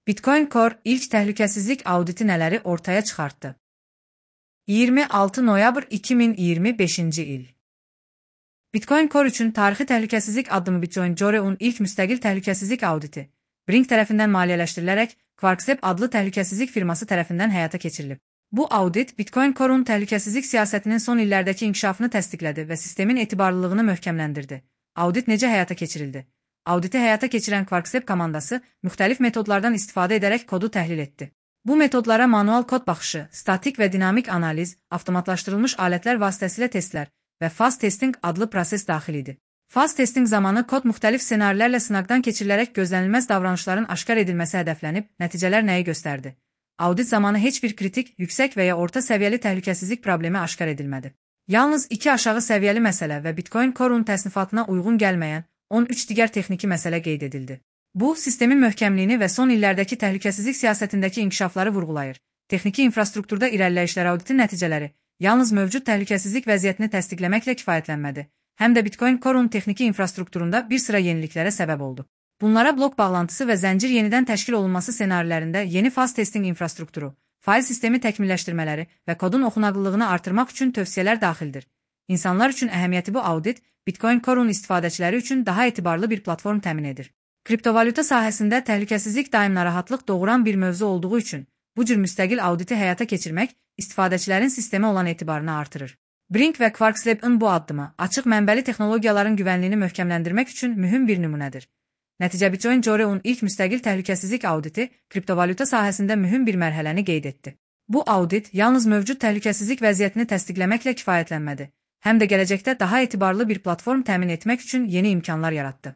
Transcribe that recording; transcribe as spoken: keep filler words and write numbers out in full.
Bitcoin Core ilk təhlükəsizlik auditi nələri ortaya çıxartdı? iyirmi altı noyabr iki min iyirmi beşinci il. Bitcoin Core üçün tarixi təhlükəsizlik addımı Bitcoin Core'un ilk müstəqil təhlükəsizlik auditi, Brink tərəfindən maliyyələşdirilərək QuarkSep adlı təhlükəsizlik firması tərəfindən həyata keçirilib. Bu audit Bitcoin Core'un təhlükəsizlik siyasətinin son illərdəki inkişafını təsdiqlədi və sistemin etibarlılığını möhkəmləndirdi. Audit necə həyata keçirildi? Auditi həyata keçirən QuarkSep komandası müxtəlif metodlardan istifadə edərək kodu təhlil etdi. Bu metodlara manual kod baxışı, statik və dinamik analiz, avtomatlaşdırılmış alətlər vasitəsilə testlər və faz testing adlı proses daxil idi. Faz testing zamanı kod müxtəlif ssenarilərlə sınaqdan keçirilərək gözlənilməz davranışların aşkar edilməsi hədəflənib, nəticələr nəyi göstərdi? Audit zamanı heç bir kritik, yüksək və ya orta səviyyəli təhlükəsizlik problemi aşkar edilmədi. Yalnız iki aşağı səviyyəli məsələ və Bitcoin Core'un təsnifatına uyğun gəlməyən on üç digər texniki məsələ qeyd edildi. Bu, sistemin möhkəmliyini və son illərdəki təhlükəsizlik siyasətindəki inkişafları vurğulayır. Texniki infrastrukturda irəliləyişlər auditin nəticələri yalnız mövcud təhlükəsizlik vəziyyətini təsdiqləməklə kifayətlənmədi, həm də Bitcoin Core'un texniki infrastrukturunda bir sıra yeniliklərə səbəb oldu. Bunlara blok bağlantısı və zəncir yenidən təşkil olunması ssenarilərində yeni faz testing infrastrukturu, fail sistemi təkmilləşdirmələri və kodun oxunaqlılığını artırmaq üçün tövsiyələr daxildir. İnsanlar üçün əhəmiyyəti bu audit, Bitcoin Core'un istifadəçiləri üçün daha etibarlı bir platform təmin edir. Kriptovalyuta sahəsində təhlükəsizlik daim narahatlıq doğuran bir mövzu olduğu üçün, bu cür müstəqil auditi həyata keçirmək istifadəçilərin sistemə olan etibarını artırır. Brink və QuarkSep'in bu addımı açıq mənbəli texnologiyaların güvənliyini möhkəmləndirmək üçün mühüm bir nümunədir. Nəticə Bitcoin Core'un ilk müstəqil təhlükəsizlik auditi kriptovalyuta sahəsində mühüm bir mərhələni qeyd etdi. Bu audit yalnız mövcud təhlükəsizlik vəziyyətini təsdiqləməklə kifayətlənmədi, həm də gələcəkdə daha etibarlı bir platform təmin etmək üçün yeni imkanlar yaratdı.